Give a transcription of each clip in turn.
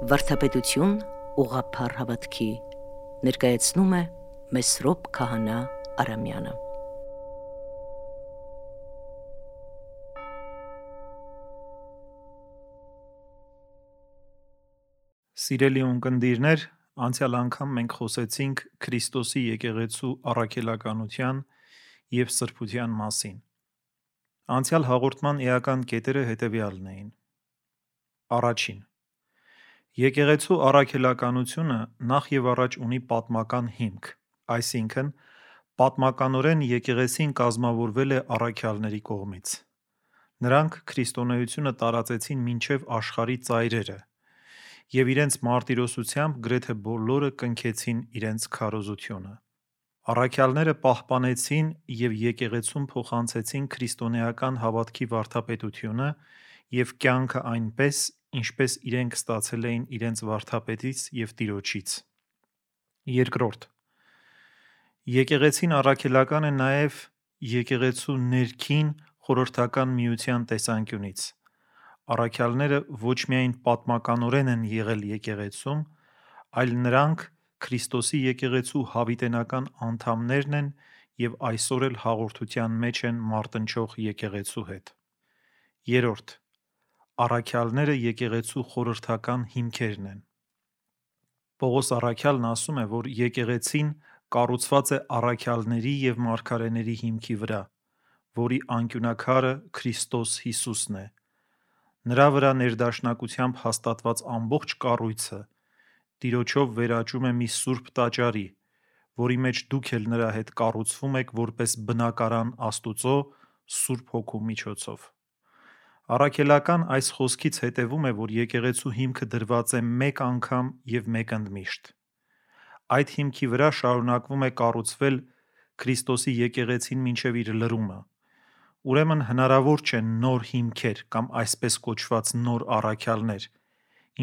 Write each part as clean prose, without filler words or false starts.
Վարդապետություն ուղղափառ հավատքի ներկայացնում է Մեսրոպ Քահանա Արամյանը։ Սիրելի ունկնդիրներ, անցյալ անգամ մենք խոսեցինք Քրիստոսի եկեղեցու առաքելականության և սրբության մասին։ Անցյալ հաղորդման էական կետերը հետևյալն էին. Առաջին. Եկեղեցու առաքելականությունը նախ և առաջ ունի պատմական հիմք, այսինքն պատմականորեն եկեղեցին կազմավորվել է առաքյալների կողմից։ Նրանք քրիստոնեությունը տարածեցին մինչև աշխարհի ծայրերը և իրենց մարտիրոսությամբ գրեթե բոլորը կնքեցին իրենց քարոզությունը։ Առաքյալները պահպանեցին և եկեղեցուն փոխանցեցին քրիստոնեական հավատքի վարդապետությունը և կյանքը այնպես, ինչպես իրենք ստացել էին իրենց վարդապետից և Տիրոջից։ Երկրորդ. Եկեղեցին առաքելական է նաև եկեղեցու ներքին խորհրդական միության տեսանկյունից։ Առաքյալները ոչ միայն պատմականորեն են եղել եկեղեցում, այլ նրանք Քրիստոսի եկեղեցու հավիտենական անդամներն են և այսօր էլ հաղորդության մեջ են մարտնչող եկեղեցու հետ։ Երրորդ. Առաքյալները եկեղեցու խորհրդական հիմքերն են։ Պողոս առաքյալն ասում է, որ եկեղեցին կառուցված է առաքյալների և մարգարեների հիմքի վրա, որի անկյունաքարը Քրիստոս Հիսուսն է։ Նրա վրա ներդաշնակությամբ հաստատված ամբողջ կառույցը Տիրոջով վերաճում է մի սուրբ տաճարի, որի մեջ դուք էլ նրա հետ կառուցվում եք որպես բնակարան Աստուծո Սուրբ Հոգու միջոցով։ Առաքելական այս խոսքից հետևում է, որ եկեղեցու հիմքը դրված է մեկ անգամ և մեկընդմիշտ։ Այդ հիմքի վրա շարունակվում է կառուցվել Քրիստոսի եկեղեցին մինչև իր լրումը։ Ուրեմն հնարավոր չէ նոր հիմքեր կամ այսպես կոչված նոր առաքյալներ,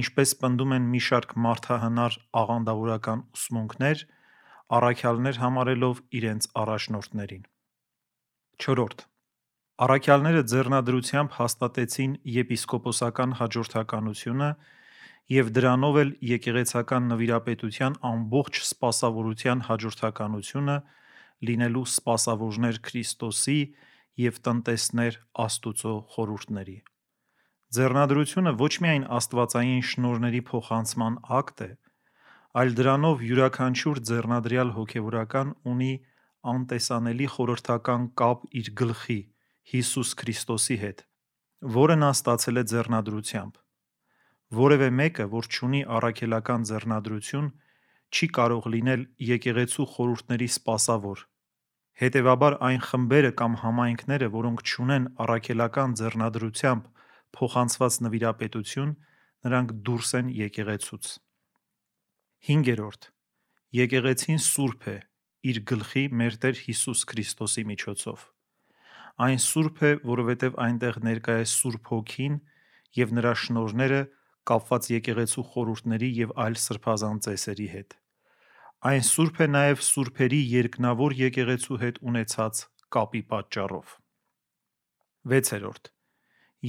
ինչպես պնդում են մի շարք մարդահնար աղանդավորական ուսմունքներ, առաքյալներ համարելով իրենց առաջնորդներին։ Չորրորդ. Առաքյալները ձեռնադրությամբ հաստատեցին եպիսկոպոսական հաջորդականությունը և դրանով էլ եկեղեցական նվիրապետության ամբողջ սպասավորության հաջորդականությունը լինելու սպասավորներ Քրիստոսի և տնտեսներ Աստուծո խորհուրդների։ Ձեռնադրությունը ոչ միայն աստվածային շնորհների փոխանցման ակտ է, այլ դրանով յուրաքանչյուր ձեռնադրյալ հոգևորական ունի անտեսանելի խորհրդական կապ իր գլխի՝ Հիսուս Քրիստոսի հետ, որը նա ստացել է ձեռնադրությամբ։ Որևէ մեկը, որ չունի առաքելական ձեռնադրություն, չի կարող լինել եկեղեցու խորհուրդների սպասավոր։ Հետևաբար այն խմբերը կամ համայնքները, որոնք չունեն առաքելական ձեռնադրությամբ փոխանցված նվիրապետություն, նրանք դուրս են եկեղեցուց։ 5. Եկեղեցին սուրբ է իր գլխի մեր Տեր Հիսուս Քրիստոսի միջոցով։ Այն սուրբ է, որովհետև այնտեղ ներկա է Սուրբ Հոգին և նրա շնորհները կապված եկեղեցու խորհուրդների և այլ սրբազան ծեսերի հետ։ Այն սուրբ է նաև սուրբերի երկնավոր եկեղեցու հետ ունեցած կապի պատճառով։ 6.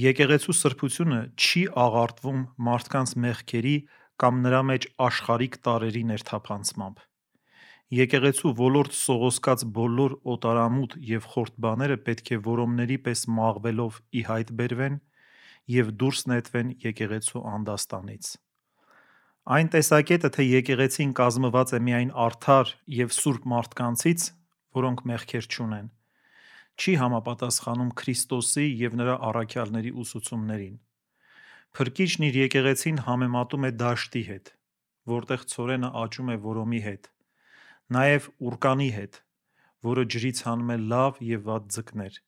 Եկեղեցու սրբությունը չի աղարտվում մարդկանց մեղքերի կամ նրա մեջ աշխարհիկ տարրերի ներթափանցմամբ։ Եկեղեցու ոլորտ սողոսկած բոլոր օտարամութ և խորտ բաները պետք է որոմների պես մաղվելով ի հայտ բերվեն և դուրս նետվեն եկեղեցու անդաստանից։ Այն տեսակետը, թե եկեղեցին կազմված է միայն արդար և սուրբ մարդկանցից, որոնք մեղքեր չունեն, չի համապատասխանում Քրիստոսի և նրա առաքյալների ուսուցումներին։ Փրկիչն իր եկեղեցին համեմատում է դաշտի հետ, որտեղ ցորենը աճում է որոմի հետ, նաև ուռկանի հետ, որը ջրից հանում է լավ և վատ ձկներ։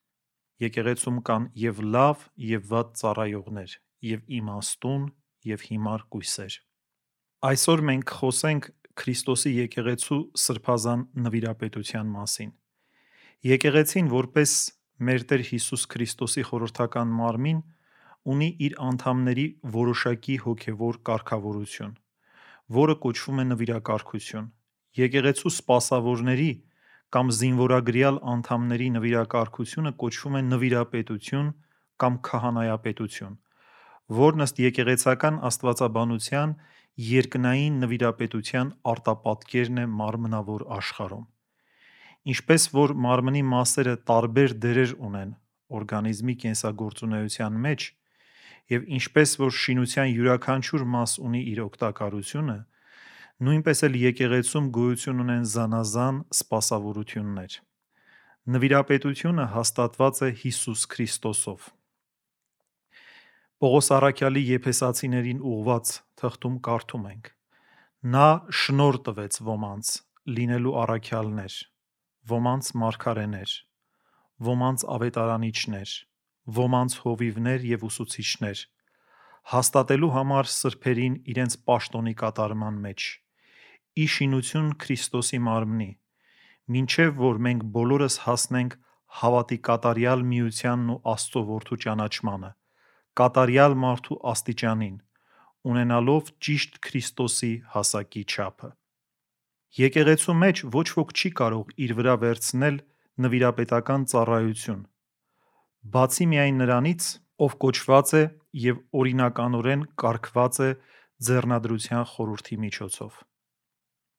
Եկեղեցում կան և լավ, և վատ ծառայողներ, և իմաստուն, և հիմար կույսեր։ Այսօր մենք կխոսենք Քրիստոսի եկեղեցու սրբազան նվիրապետության մասին։ Եկեղեցին, որպես մեր Տեր Հիսուս Քրիստոսի խորհրդական մարմին, ունի իր անդամների որոշակի հոգևոր կարգավորություն, որը կոչվում է նվիրակարգություն։ Եկեղեցու սպասավորների կամ զինվորագրյալ անդամների նվիրակարգությունը կոչվում է նվիրապետություն կամ քահանայապետություն, որն ըստ եկեղեցական աստվածաբանության երկնային նվիրապետության արտապատկերն է մարմնավոր աշխարհում։ Ինչպես որ մարմնի մասերը տարբեր դերեր ունեն օրգանիզմի կենսագործունեության մեջ, եւ ինչպես որ շինության յուրաքանչյուր մաս ունի իր օգտակարությունը, նույնպես էլ եկեղեցում գոյություն ունեն զանազան սպասավորություններ։ Նվիրապետությունը հաստատված է Հիսուս Քրիստոսով։ Պողոս առաքյալի Եփեսացիներին ուղված թղթում կարդում ենք. Նա շնորհ տվեց ոմանց լինելու առաքյալներ, ոմանց մարգարեներ, ոմանց ավետարանիչներ, ոմանց հովիվներ եւ ուսուցիչներ, հաստատելու համար սրբերին իրենց պաշտոնի կատարման մեջ, ի շինություն Քրիստոսի մարմնի, մինչև որ մենք բոլորս հասնենք հավատի կատարյալ միությանն ու Աստծո որդու ճանաչմանը, կատարյալ մարդու աստիճանին, ունենալով ճիշտ Քրիստոսի հասակի չափը։ Եկեղեցու մեջ ոչ ոք չի կարող իր վրա վերցնել նվիրապետական ծառայություն, բացի միայն նրանից, ով կոչված է եւ օրինականորեն կարգված է ձեռնադրության խորհրդի միջոցով։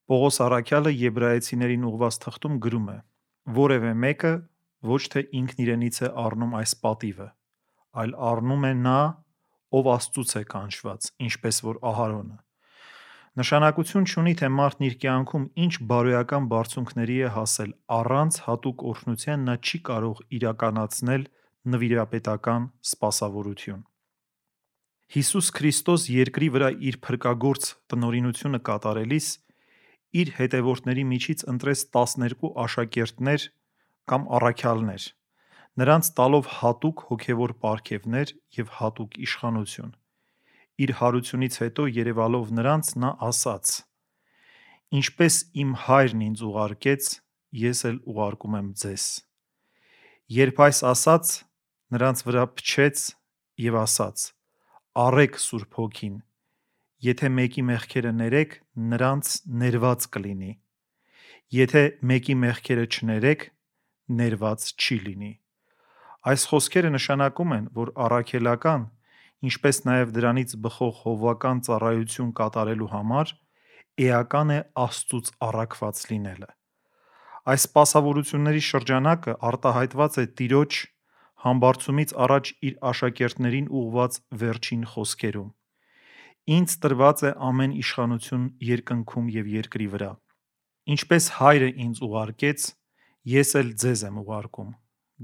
Պողոս առաքյալը Եբրայեցիներին ուղված թղթում գրում է. որևէ մեկը ոչ թե ինքն իրենից է առնում այս պատիվը, այլ առնում է նա, ով Աստծուց է կանչված, ինչպես որ Ահարոնը։ Նշանակություն չունի, թե մարդն իր կյանքում ինչ բարոյական բարձունքների է հասել, առանց հատուկ օրհնության նա չի կարող իրականացնել նվիրապետական սպասավորություն։ Հիսուս Քրիստոս երկրի վրա իր փրկագործ տնօրինությունը կատարելիս իր հետևորդների միջից ընտրեց 12 աշակերտներ կամ առաքյալներ, նրանց տալով հատուկ հոգևոր պարգևներ և հատուկ իշխանություն։ Իր հարությունից հետո երևալով նրանց նա ասաց. «Ինչպես իմ հայրն ինձ ուղարկեց, ես էլ ուղարկում եմ ձեզ»։ Երբ այս ասաց, նրանց վրա փչեց և ասաց. «Առեք Սուրբ Հոգին, եթե մեկի մեղքերը ներեք, նրանց ներված կլինի, եթե մեկի մեղքերը չներեք, ներված չի լինի»։ Այս խոսքերը նշանակում են, որ առաքելական, ինչպես նաև դրանից բխող հովվական ծառայություն կատարելու համար էական է Աստծուց առաքված լինելը։ Այս սպասավորությունների շրջանակը արտահայտված է Տիրոջ համբարձումից առաջ իր աշակերտներին ուղղված վերջին խոսքերում. «Ինձ տրված է ամեն իշխանություն երկնքում և երկրի վրա։ Ինչպես հայրը ինձ ուղարկեց, ես էլ ձեզ եմ ուղարկում։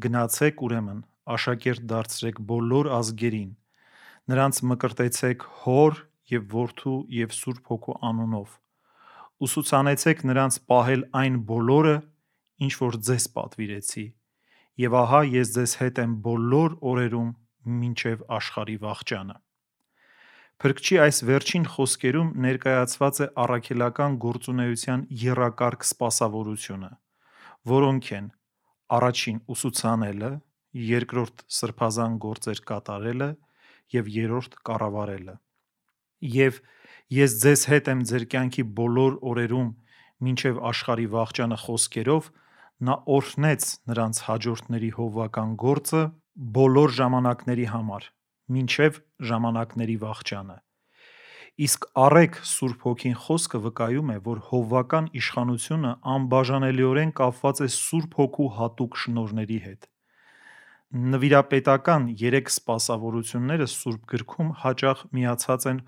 Գնացեք ուրեմն, աշակերտ դարձրեք բոլոր ազգերին, նրանց մկրտեցեք Հոր և Որդու և Սուրբ Հոգու անունով, ուսուցանեցեք նրանց պահել այն բոլորը, ինչ որ ձեզ պատվիրեցի, և ահա ես ձեզ հետ եմ բոլոր օրերում մինչև աշխարհի վախճանը»։ Փրկչի այս վերջին խոսքերում ներկայացված է առաքելական գործունեության եռակարգ սպասավորությունը, որոնք են. առաջին ուսուցանելը, երկրորդ սրբազան գործեր կատարելը և երրորդ կառավարելը։ Եվ «Ես ձեզ հետ եմ ձեր կյանքի բոլոր օրերում մինչև աշխարհի վախճանը» խոսքերով նա օրհնեց նրանց հաջորդների հովվական գործը բոլոր ժամանակների համար, մինչև ժամանակների վախճանը։ Իսկ «առեք Սուրբ Հոգին» խոսքը վկայում է, որ հովվական իշխանությունը անբաժանելիորեն կապված է Սուրբ Հոգու հատուկ շնորհների հետ։ Նվիրապետական 3 սպասավորությունները Սուրբ գրքում հաճախ միացած են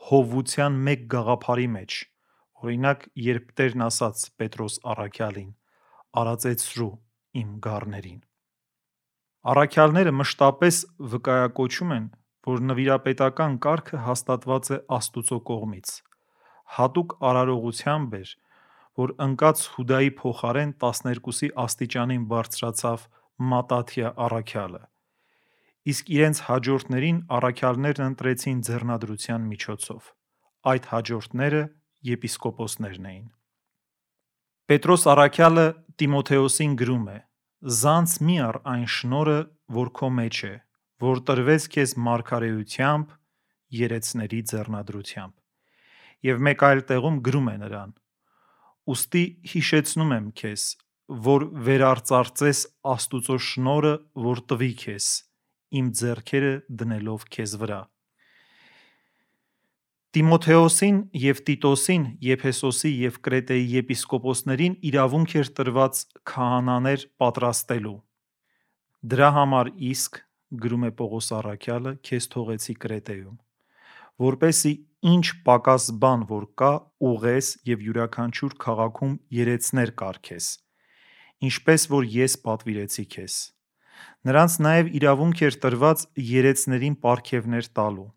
հովվության մեկ գաղափարի մեջ, օրինակ, երբ Տերն ասաց Պետրոս առաքյալին. «Արածեցրու իմ գառներին»։ Առաքյալները մշտապես վկայակոչում են, որ նվիրապետական կարգը հաստատված է Աստուծո կողմից։ Հատուկ արարողությամբ էր, որ ընկած Հուդայի փոխարեն 12-ի աստիճանին բարձրացավ Մատաթիա առաքյալը, իսկ իրենց հաջորդներին առաքյալներն ընտրեցին ձեռնադրության միջոցով։ Այդ հաջորդները եպիսկոպոսներն էին։ Պետրոս առաքյալը Տիմոթեոսին գրում է. «Զանց մի առ այն շնորհը, որ քո մեջ է, որ տրվեց քեզ մարգարեությամբ, երեցների ձեռնադրությամբ»։ Եվ մեկ այլ տեղում գրում է նրան. «Ուստի հիշեցնում եմ քեզ, որ վերարծարծես Աստուծո շնորհը, որ տվի քեզ, իմ ձեռքերը դնելով քեզ վրա»։ Տիմոթեոսին և Տիտոսին Եփեսոսի և Կրետեի եպիսկոպոսներին իրավունք էր տրված քահանաներ պատրաստելու։ Դրա համար իսկ, գրում է Պողոս առաքյալը, քեզ թողեցի Կրետեում, որպեսզի ինչ պակաս բան որ կա, ուղես և յուրաքանչյուր քաղաքում երեցներ կարգես, ինչպես որ ես պատվիրեցի քեզ։ Նրանց նաև իրավունք էր տրված երեցներին պարգևներ տալու։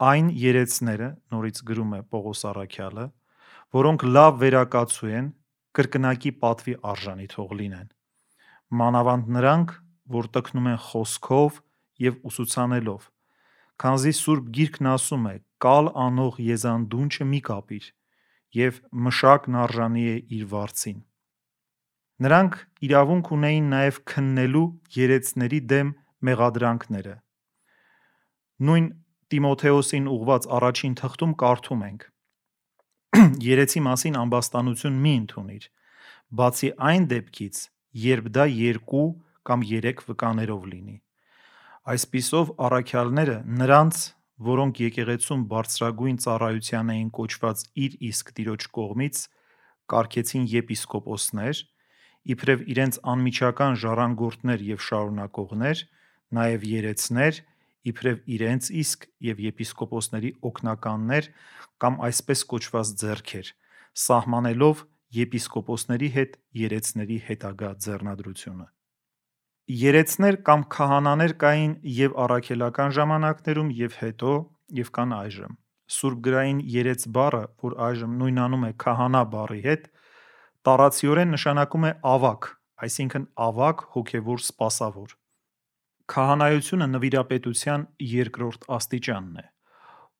Այն երեցները, նորից գրում է Պողոս առաքյալը, որոնք լավ վերակացու են, կրկնակի պատվի արժանի թող լինեն։ Մանավանդ նրանք, որ տքնում են խոսքով և ուսուցանելով, քանզի Սուրբ Գիրքն ասում է. «Կալ անող եզան դունչը մի կապիր, և մշակն արժանի է իր վարձին»։ Նրանք իրավունք ունեին նաև քննելու երեցների դեմ մեղադրանքները։ Նույն Տիմոթեոսին ուղղված առաջին թղթում կարդում ենք. «Երեցի մասին ամբաստանություն մի ընդունիր, բացի այն դեպքից, երբ դա 2 կամ 3 վկաներով լինի»։ Այսպիսով առաքյալները նրանց, որոնք եկեղեցում բարձրագույն ծառայության էին կոչված իր իսկ Տիրոջ կողմից, կարգեցին եպիսկոպոսներ, իբրև իրենց անմիջական ժառանգորդներ և շարունակողներ, նաև երեցներ, իբրև իրենց իսկ և եպիսկոպոսների օգնականներ կամ այսպես կոչված ձեռքեր, սահմանելով եպիսկոպոսների հետ երեցների հետագա ձեռնադրությունը։ Երեցներ կամ քահանաներ կային և առաքելական ժամանակներում, և հետո, և կան այժմ։ Սուրբգրային երեց բառը, որ այժմ նույնանում է քահանա բառի հետ, տառացիորեն նշանակում է ավագ, այսինքն ավագ հոգևոր սպասավոր։ Քահանայությունը նվիրապետության երկրորդ աստիճանն է։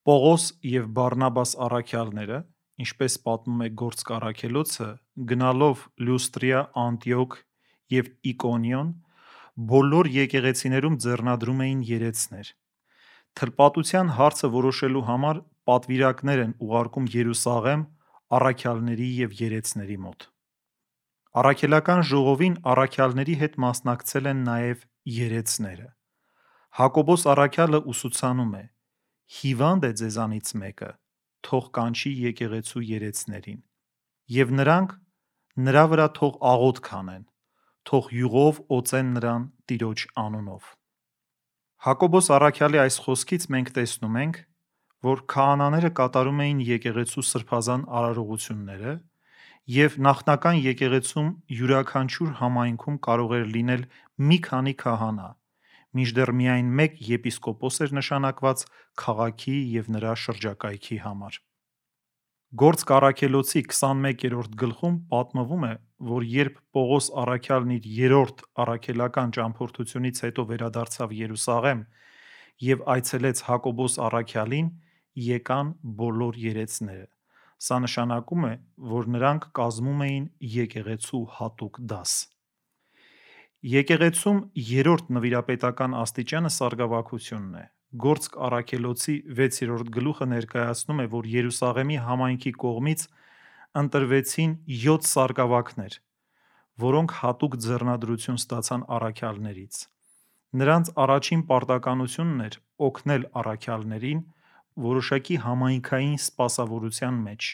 Պողոս և Բարնաբաս առաքյալները, ինչպես պատմում է Գործք առաքելոցը, գնալով Լյուստրիա, Անտիոք և Իկոնիոն, բոլոր եկեղեցիներում ձեռնադրում էին երեցներ։ Թլպատության հարցը որոշելու համար պատվիրակներ են ուղարկում Երուսաղեմ առաքյալների և երեցների մոտ։ Առաքելական ժողովին առաքյալների հետ մասնակցել են նաև երեցները։ Հակոբոս առաքյալը ուսուցանում է. «Հիվանդ է ձեզանից մեկը, թող կանչի եկեղեցու երեցներին, և նրանք նրա վրա թող աղոթք անեն, թող յուղով օծեն նրան Տիրոջ անունով»։ Հակոբոս առաքյալի այս խոսքից մենք տեսնում ենք, որ քահանաները կատարում էին եկեղեցու սրբազան արարողությունները, և նախնական եկեղեցում յուրաքանչյուր համայնքում կարող էր լինել մի քանի քահանա, մինչդեռ միայն մեկ եպիսկոպոս էր նշանակված քաղաքի և նրա շրջակայքի համար։ Գործք առաքելոցի 21-րդ գլխում պատմվում է, որ երբ Պողոս առաքյալն իր երրորդ առաքելական ճամփորդությունից հետո վերադարձավ Երուսաղեմ և այցելեց Հակոբոս առաքյալին, եկան բոլոր երեցները։ Սա նշանակում է, որ նրանք կազմում էին եկեղեցու հատուկ դաս։ Եկեղեցում երրորդ նվիրապետական աստիճանը սարգսակությունն է։ Գործք առաքելոցի 6-րդ գլուխը ներկայացնում է, որ Երուսաղեմի համայնքի կողմից ընտրվեցին 7 սարգսակներ, որոնք հատուկ ձեռնադրություն ստացան առաքյալներից։ Նրանց առաջին պարտականությունն էր օգնել առաքյալներին որոշակի համայնքային սպասավորության մեջ։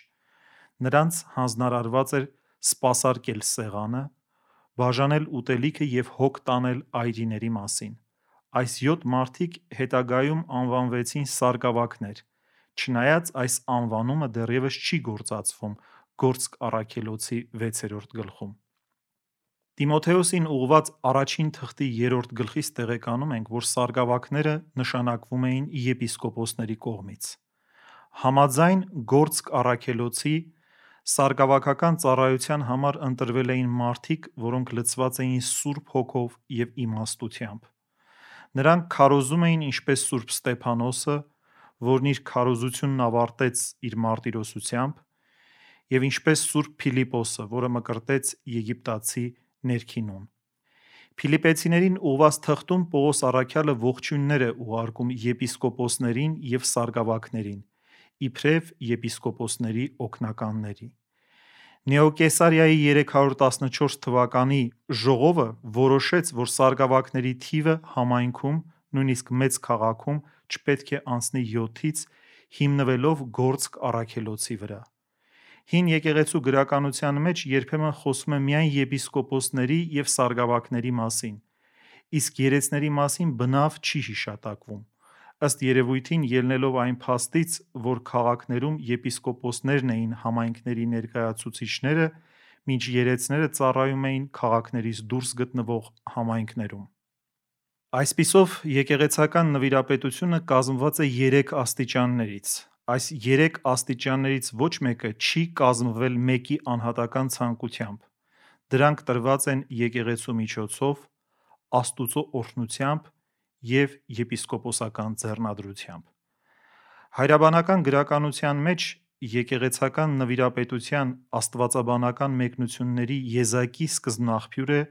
Նրանց հանձնարարված էր սպասարկել սեղանը, բաժանել ուտելիքը և հոգ տանել այրիների մասին։ Այս 7 մարդիկ հետագայում անվանվեցին սարգսակներ, չնայած այս անվանումը դեռևս չի գործածվում Գործք առաքելոցի 6-րդ գլխում։ Տիմոթեոսին ուղղված առաջին թղթի 3-րդ գլխից տեղեկանում ենք, որ սարգսակները նշանակվում էին եպիսկոպոսների կողմից։ Համաձայն Գործք առաքելոցի, սարգսակական ծառայության համար ընտրվել էին մարդիկ, որոնք լցված էին Սուրբ Հոգով և իմաստությամբ։ Նրանք քարոզում էին ինչպես Սուրբ Ստեփանոսը, որն իր քարոզությունն ավարտեց իր մարտիրոսությամբ, և ինչպես Սուրբ Փիլիպոսը, որը մկրտեց եգիպտացի ներքինուն։ Փիլիպպեցիներին ուղղված թղթում Պողոս առաքյալը ողջույններ է ուղարկում եպիսկոպոսներին և սարգսակներին, իբրև եպիսկոպոսների օգնականների։ Նեոկեսարիայի 314 թվականի ժողովը որոշեց, որ սարգսակների թիվը համայնքում, նույնիսկ մեծ քաղաքում, չպետք է անցնի 7-ից հիմնվելով գործք առաքելոցի վրա։ Հին եկեղեցու գրականության մեջ երբեմն խոսում է միայն եպիսկոպոսների և սարգսակների մասին, իսկ երեցների մասին բնավ չի հիշատակվում, ըստ երևույթին ելնելով այն փաստից, որ քաղաքներում եպիսկոպոսներն էին համայնքների ներկայացուցիչները, մինչ երեցները ծառայում էին քաղաքներից դուրս գտնվող համայնքներում։ Այսպիսով, եկեղեցական նվիրապետությունը կազմված է 3 աստիճաններից։ Այս 3 աստիճաններից ոչ մեկը չի կազմվել մեկի անհատական ցանկությամբ։ Դրանք տրված են եկեղեցու միջոցով, Աստուծո օրհնությամբ և եպիսկոպոսական ձեռնադրությամբ։ Հայրաբանական գրականության մեջ եկեղեցական նվիրապետության աստվածաբանական մեկնությունների եզակի սկզբնաղբյուր է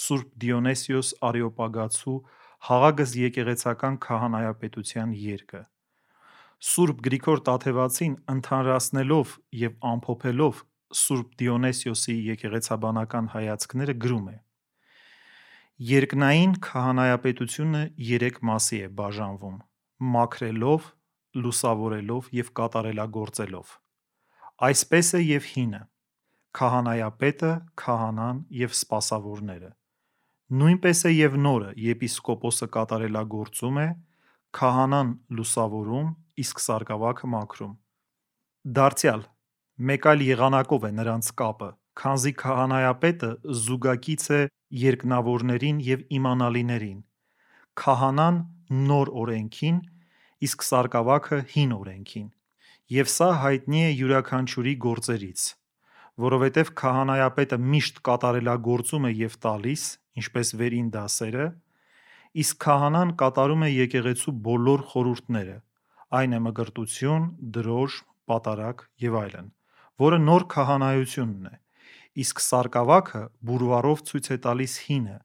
Սուրբ Դիոնիսիոս Արեոպագացու «Հաղագս եկեղեցական քահանայապետության» երգը։ Սուրբ Գրիգոր Տաթևացին ընդհանրացնելով և ամփոփելով Սուրբ Դիոնիսիոսի եկեղեցաբանական հայացքները գրում է. Երկնային քահանայապետությունը 3 մասի է բաժանվում՝ մաքրելով, լուսավորելով և կատարելագործելով։ Այսպես է և հինը՝ քահանայապետը, քահանան և սպասավորները։ Նույնպես է և նորը՝ եպիսկոպոսը կատարելագործում է, քահանան լուսավորում, իսկ սարգսակը մաքրում։ Դարձյալ, մեկ այլ եղանակով է նրանց կապը, քանզի քահանայապետը զուգակից է երկնավորներին և իմանալիներին, քահանան նոր օրենքին, իսկ սարգսակը հին օրենքին։ Եվ սա հայտնի է յուրաքանչյուրի գործերից, որովհետև քահանայապետը միշտ կատարելագործում է և տալիս, ինչպես վերին դասերը, իսկ քահանան կատարում է եկեղեցու բոլոր խորհուրդները, այն է մկրտություն, դրոշ, պատարագ և այլն, որը նոր քահանայությունն է, իսկ սարգսակը բուրվառով ցույց է տալիս հինը,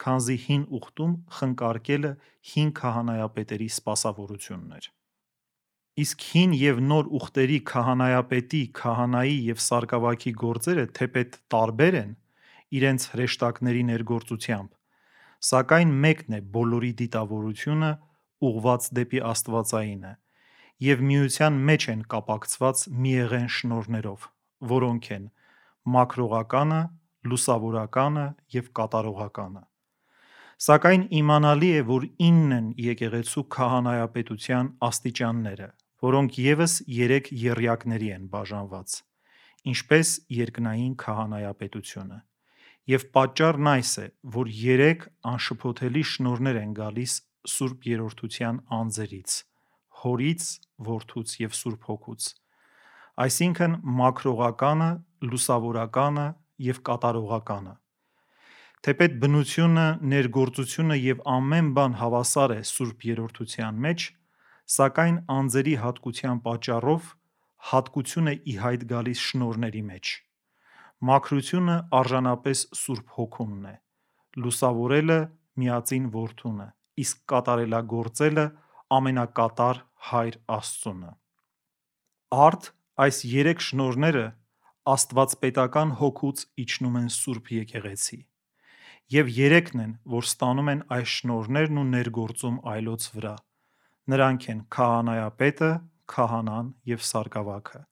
քանզի հին ուխտում խնկարկելը հին քահանայապետերի սպասավորությունն էր։ Իսկ հին և նոր ուխտերի քահանայապետի, քահանայի և սարգսակի գործերը թեպետ տարբեր են իրենց հրեշտակների ներգործությամբ, սակայն մեկն է բոլորի դիտավորությունը ուղղված դեպի աստվածայինը, և միության մեջ են կապակցված միեղեն շնորհներով, որոնք են մաքրողականը, լուսավորականը և կատարողականը։ Սակայն իմանալի է, որ 9 են եկեղեցու քահանայապետության աստիճանները, որոնք ևս 3 եռյակների են բաժանված, ինչպես երկնային քահանայապետությունը, և պատճառն այս է, որ 3 անշփոթելի շնորհներ են գալիս Սուրբ Երրորդության անձերից՝ Հորից, Որդուց և Սուրբ Հոգուց, այսինքն մաքրողականը, լուսավորականը և կատարողականը։ Թեպետ բնությունը, ներգործությունը և ամեն բան հավասար է Սուրբ Երրորդության մեջ, սակայն անձերի հատկության պատճառով հատկություն է ի հայտ գալիս շնորհների մեջ։ Մաքրությունը արժանապես Սուրբ Հոգունն է, լուսավորելը Միածին Որդուն է, իսկ կատարելագործելը ամենակատար Հայր Աստծունը։ Արդ այս 3 շնորհները աստվածպետական հոգուց իջնում են Սուրբ Եկեղեցի, և 3-ն են, որ ստանում են այս շնորհներն ու ներգործում այլոց վրա, նրանք են քահանայապետը, քահանան և սարգսակը։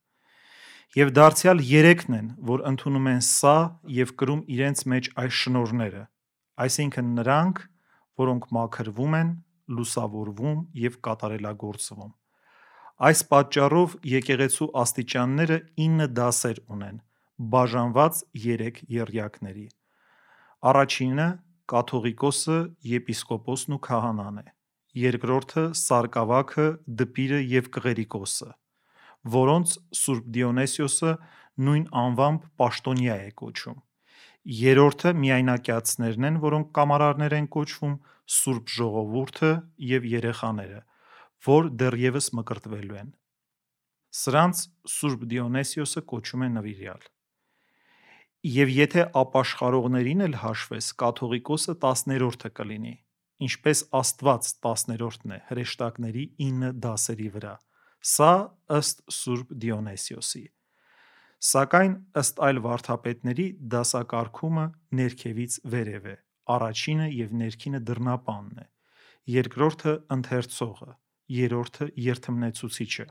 Եվ դարձյալ 3-ն են, որ ընդունում են սա և կրում իրենց մեջ այս շնորհները, այսինքն նրանք, որոնք մաքրվում են, լուսավորվում և կատարելագործվում։ Այս պատճառով եկեղեցու աստիճանները 9 դասեր ունեն՝ բաժանված 3 եռյակների։ Առաջինը կաթողիկոսը, եպիսկոպոսն ու քահանան է, երկրորդը սարգսակը, դպիրը և կղերիկոսը, որոնց Սուրբ Դիոնիսիոսը նույն անվամբ պաշտոնյա է կոչում, երրորդը միայնակյացներն են, որոնք կամարարներ են կոչվում, Սուրբ Ժողովուրդը և երեխաները, որ դեռևս մկրտվելու են։ Սրանց Սուրբ Դիոնիսիոսը կոչում է նվիրյալ։ Եվ եթե ապաշխարողներին էլ հաշվես, կաթողիկոսը 10-րդը կլինի, ինչպես Աստված 10-րդն է հրեշտակների 9 դասերի վրա, սա ըստ Սուրբ Դիոնիսիոսի։ Սակայն ըստ այլ վարդապետների դասակարգումը ներքևից վերև է, առաջինը և ներքինը դռնապանն է, երկրորդը ընթերցողը, երրորդը երդմնեցուցիչը,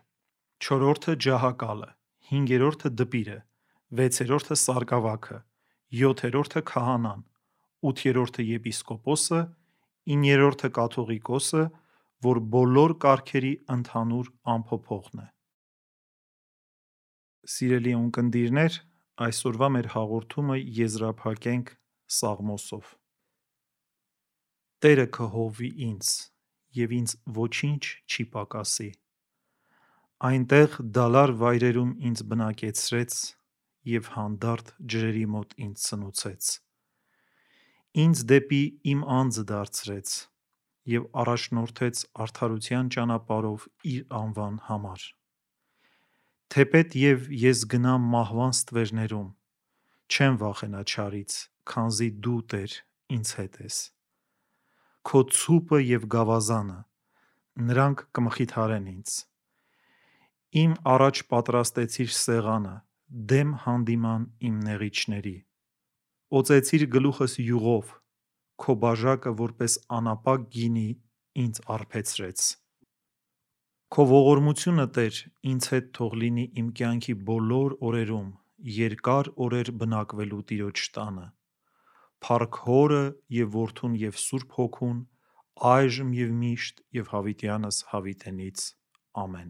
4-րդը ջահակալը, 5-րդը դպիրը, 6-րդը սարգավաքը, 7-րդը քահանան, 8-րդը եպիսկոպոսը, 9-րդը կաթողիկոսը, որ բոլոր կարգերի ընդհանուր ամփոփողն է։ Սիրելի ունկնդիրներ, այսօրվա մեր հաղորդումը եզրափակենք Սաղմոսով։ Տերը կհովվի ինձ, և ինձ ոչինչ չի պակասի։ Այնտեղ դալար վայրերում ինձ բնակեցրեց և հանդարտ ջրերի մոտ ինձ սնուցեց։ Ինձ դեպի իմ անձը դարձրեց և առաջնորդեց արդարության ճանապարհով իր անվան համար։ Թեպետ և ես գնամ մահվան ստվերներում, չեմ վախենա չարից, քանզի դու, Տեր, ինձ հետ ես։ Քո ցուպը և գավազանը, նրանք կմխիթարեն ինձ։ Իմ առաջ պատրաստեցիր սեղանը, դեմ հանդիման իմ նեղիչների։ Օծեցիր գլուխս յուղով, քո բաժակը որպես անապակ գինի ինձ առբեցրեց։ Քո ողորմությունը, Տեր, ինձ հետ թող լինի իմ կյանքի բոլոր օրերում, երկար օրեր բնակվելու Տիրոջ տանը։ Փառք Հորը և Որդուն և Սուրբ Հոգուն, այժմ և միշտ և հավիտյանս հավիտենից։ Ամեն։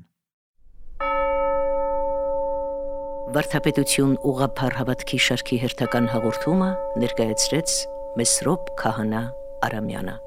Վարդապետություն ուղղափառ հավատքի շարքի հերթական հաղորդումը ներկայացրեց Մեսրոպ Քահանա Արամյանը։